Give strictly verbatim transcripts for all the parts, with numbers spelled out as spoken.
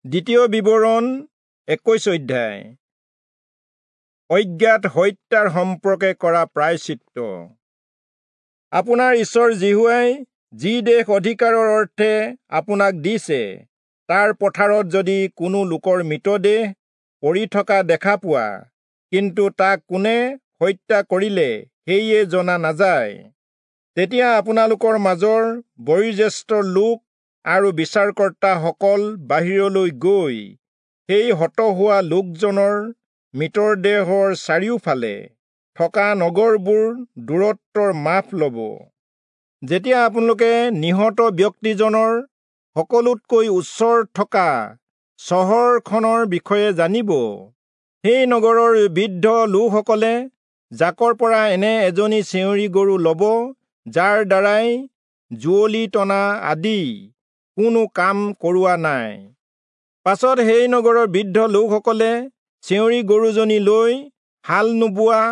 দ্বিতীয় বিৱৰণ একৈশ অধ্যায়। অজ্ঞাত হত্যাৰ সম্পৰ্কে কৰা প্ৰায়শ্চিত্ত। আপোনাৰ ঈশ্বৰ যিহোৱাই যি দেশ অধিকাৰৰ অৰ্থে আপোনাক দিছে, তাৰ পথাৰত যদি কোনো লোকৰ মৃতদেহ পৰি থকা দেখা পোৱা, কিন্তু তাক কোনে হত্যা কৰিলে সেয়ে জনা নাযায়, তেতিয়া আপোনালোকৰ মাজৰ বয়োজ্যেষ্ঠ লোক আৰু বিচাৰকৰ্তাসকল বাহিৰলৈ গৈ সেই হত হোৱা লোকজনৰ মৃতদেহৰ চাৰিওফালে থকা নগৰবোৰ দূৰত্বৰ মাপ ল'ব। যেতিয়া আপোনালোকে নিহত ব্যক্তিজনৰ সকলোতকৈ ওচৰত থকা চহৰখনৰ বিষয়ে জানিব, সেই নগৰৰ বৃদ্ধ লোকসকলে জাকৰ পৰা এনে এজনী চেঁউৰী গৰু ল'ব, যাৰ দ্বাৰাই যুঁৱলি টনা আদি কোনো কাম কৰোৱা নাই। পাছত সেই নগৰৰ বৃদ্ধ লোকসকলে চেঁউৰী গৰুজনী লৈ হাল নোবোৱা,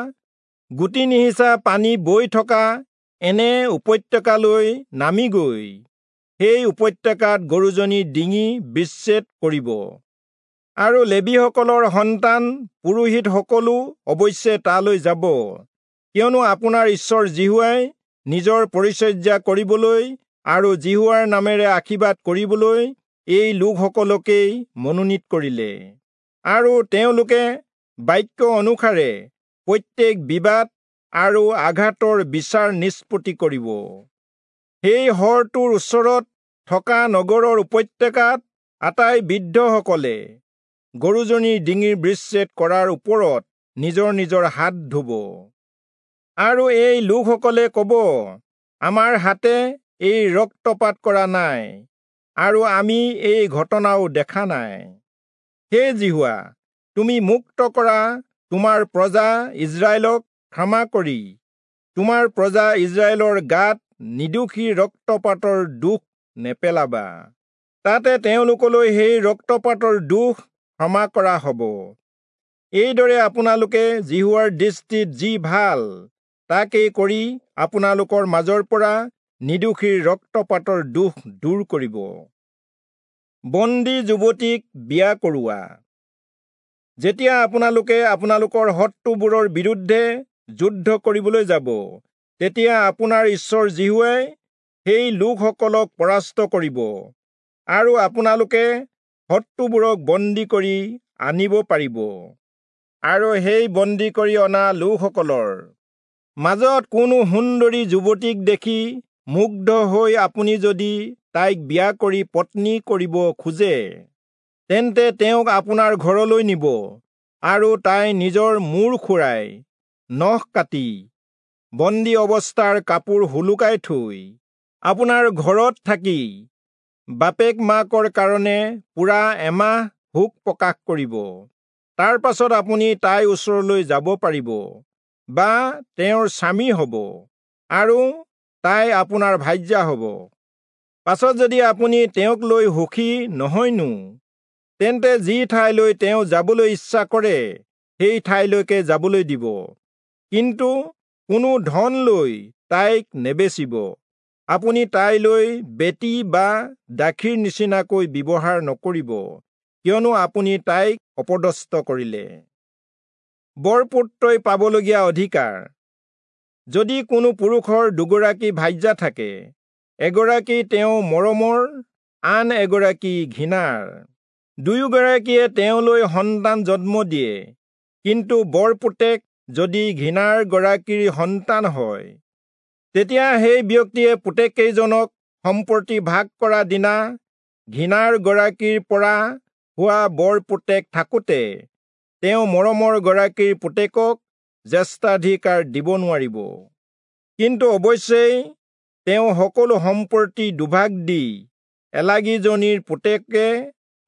গুটি নিসিঁচা পানী বৈ থকা এনে উপত্যকালৈ নামি গৈ সেই উপত্যকাত গৰুজনীৰ ডিঙি বিচ্ছেদ কৰিব। আৰু লেবীসকলৰ সন্তান পুৰোহিতসকলো অৱশ্যে তালৈ যাব, কিয়নো আপোনাৰ ঈশ্বৰ যিহোৱাই নিজৰ পৰিচৰ্যা কৰিবলৈ আৰু যিহোৱাৰ নামেৰে আশীৰ্বাদ কৰিবলৈ এই লোকসকলকেই মনোনীত কৰিলে। আৰু তেওঁলোকে বাক্য অনুসাৰে প্ৰত্যেক বিবাদ আৰু আঘাতৰ বিচাৰ নিষ্পত্তি কৰিব। সেই হৰটোৰ ওচৰত থকা নগৰৰ উপত্যকাত আটাই বৃদ্ধসকলে গৰুজনীৰ ডিঙিৰ বিচ্ছেদ কৰাৰ ওপৰত নিজৰ নিজৰ হাত ধুব। আৰু এই লোকসকলে ক'ব, আমাৰ হাতে এই ৰক্তপাত কৰা নাই, আৰু আমি এই ঘটনাও দেখা নাই। হে যিহোৱা, তুমি মুক্ত কৰা তোমাৰ প্ৰজা ইস্ৰায়েলক ক্ষমা কৰি তোমাৰ প্ৰজা ইস্ৰায়েলৰ গাত নিৰ্দোষী ৰক্তপাতৰ দোষ নেপেলাবা। তাতে তেওঁলোকলৈ সেই ৰক্তপাতৰ দোষ ক্ষমা কৰা হ'ব। এইদৰে আপোনালোকে যিহোৱাৰ দৃষ্টিত যি ভাল তাকেই কৰি আপোনালোকৰ মাজৰ পৰা নিৰ্দোষীৰ ৰক্তপাতৰ দোষ দূৰ কৰিব। বন্দী যুৱতীক বিয়া কৰোৱা। যেতিয়া আপোনালোকে আপোনালোকৰ শত্ৰুবোৰৰ বিৰুদ্ধে যুদ্ধ কৰিবলৈ যাব, তেতিয়া আপোনাৰ ঈশ্বৰ যিহোৱাই সেই লোকসকলক পৰাস্ত কৰিব, আৰু আপোনালোকে শত্ৰুবোৰক বন্দী কৰি আনিব পাৰিব। আৰু সেই বন্দী কৰি অনা লোকসকলৰ মাজত কোনো সুন্দৰী যুৱতীক দেখি মুগ্ধ হৈ আপুনি যদি তাইক বিয়া কৰি পত্নী কৰিব খোজে, তেন্তে তেওঁক আপোনাৰ ঘৰলৈ নিব, আৰু তাই নিজৰ মূৰ খুৰাই, নখ কাটি, বন্দী অৱস্থাৰ কাপোৰ সোলোকাই থৈ আপোনাৰ ঘৰত থাকি বাপেক মাকৰ কাৰণে পূৰা এমাহ শোক প্ৰকাশ কৰিব। তাৰ পাছত আপুনি তাইৰ ওচৰলৈ যাব পাৰিব বা তেওঁৰ স্বামী হ'ব, আৰু তাই আপোনাৰ ভাৰ্যা হ'ব। পাছত যদি আপুনি তেওঁক লৈ সুখী নহয়নো, তেন্তে যি ঠাইলৈ তেওঁ যাবলৈ ইচ্ছা কৰে সেই ঠাইলৈকে যাবলৈ দিব, কিন্তু কোনো ধন লৈ তাইক নেবেচিব। আপুনি তাইলৈ বেটী বা দাসীৰ নিচিনাকৈ ব্যৱহাৰ নকৰিব, কিয়নো আপুনি তাইক অপদস্থ কৰিলে। বৰপুত্ৰই পাবলগীয়া অধিকাৰ। যদি কোনো পুৰুষৰ দুগৰাকী ভাৰ্যা থাকে, এগৰাকী তেওঁ মৰমৰ, আন এগৰাকী ঘৃণাৰ, দুয়োগৰাকীয়ে তেওঁলৈ সন্তান জন্ম দিয়ে, কিন্তু বৰপুতেক যদি ঘৃণাৰ গৰাকীৰ সন্তান হয়, তেতিয়া সেই ব্যক্তিয়ে পুতেককেইজনক সম্পত্তি ভাগ কৰা দিনা ঘৃণাৰ গৰাকীৰ পৰা হোৱা বৰপুতেক থাকোঁতে তেওঁ মৰমৰ গৰাকীৰ পুতেকক জ্যেষ্ঠাধিকাৰ দিব নোৱাৰিব। কিন্তু অৱশ্যেই তেওঁ সকলো সম্পত্তি দুভাগ দি এলাগীজনীৰ পুতেকে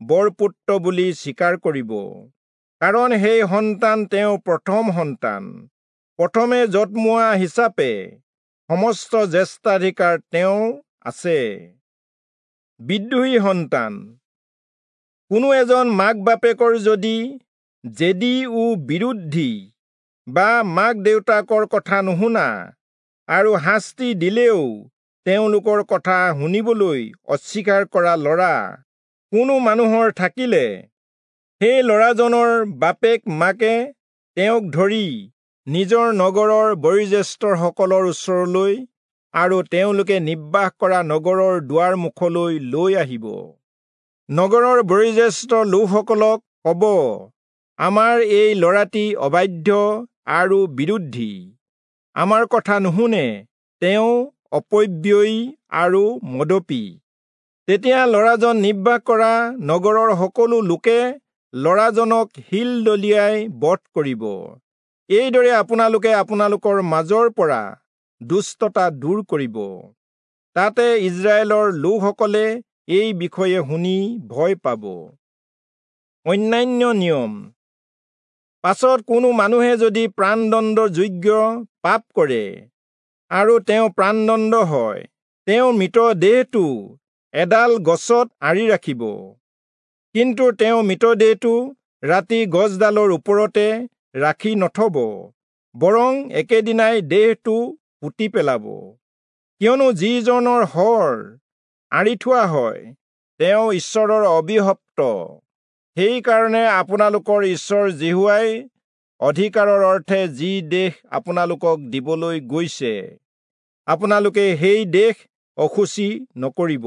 বৰপুত্ৰ বুলি স্বীকাৰ কৰিব, কাৰণ সেই সন্তান তেওঁৰ প্ৰথম সন্তান। প্ৰথমে জন্মোৱা হিচাপে সমস্ত জ্যেষ্ঠাধিকাৰ তেওঁৰ আছে। বিদ্ৰোহী সন্তান। কোনো এজন মাক বাপেকৰ যদি জেদী ও বিৰোধী বা মাক দেউতাকৰ কথা নুশুনা আৰু শাস্তি দিলেও তেওঁলোকৰ কথা শুনিবলৈ অস্বীকাৰ কৰা ল'ৰা কোনো মানুহৰ থাকিলে, সেই ল'ৰাজনৰ বাপেক মাকে তেওঁক ধৰি নিজৰ নগৰৰ বয়োজ্যেষ্ঠসকলৰ ওচৰলৈ আৰু তেওঁলোকে নিবাস কৰা নগৰৰ দুৱাৰ মুখলৈ লৈ আহিব। নগৰৰ বয়োজ্যেষ্ঠ লোকসকলক ক'ব, আমাৰ এই ল'ৰাটি অবাধ্য আৰু বিৰোধী, আমাৰ কথা নুশুনে, তেওঁ অপব্যয়ী আৰু মদপী। তেতিয়া ল'ৰাজন নিবাস কৰা নগৰৰ সকলো লোকে ল'ৰাজনক শিল দলিয়াই বধ কৰিব। এইদৰে আপোনালোকে আপোনালোকৰ মাজৰ পৰা দুষ্টতা দূৰ কৰিব। তাতে ইস্ৰায়েলৰ লোকসকলে এই বিষয়ে শুনি ভয় পাব। অন্যান্য নিয়ম। পাছত কোনো মানুহে যদি প্ৰাণদণ্ডৰ যোগ্য পাপ কৰে আৰু তেওঁ প্ৰাণদণ্ড হয়, তেওঁৰ মৃতদেহটো এডাল গছত আঁৰি ৰাখিব। কিন্তু তেওঁ মৃতদেহটো ৰাতি গছডালৰ ওপৰতে ৰাখি নথব, বৰং একেদিনাই দেহটো পুতি পেলাব। কিয়নো যিজনৰ শৰ আঁৰি থোৱা হয়, তেওঁ ঈশ্বৰৰ অভিশপ্ত। সেইকাৰণে আপোনালোকৰ ঈশ্বৰ যিহোৱাই অধিকাৰৰ অৰ্থে যি দেশ আপোনালোকক দিবলৈ গৈছে, আপোনালোকে সেই দেশ অশুচি নকৰিব।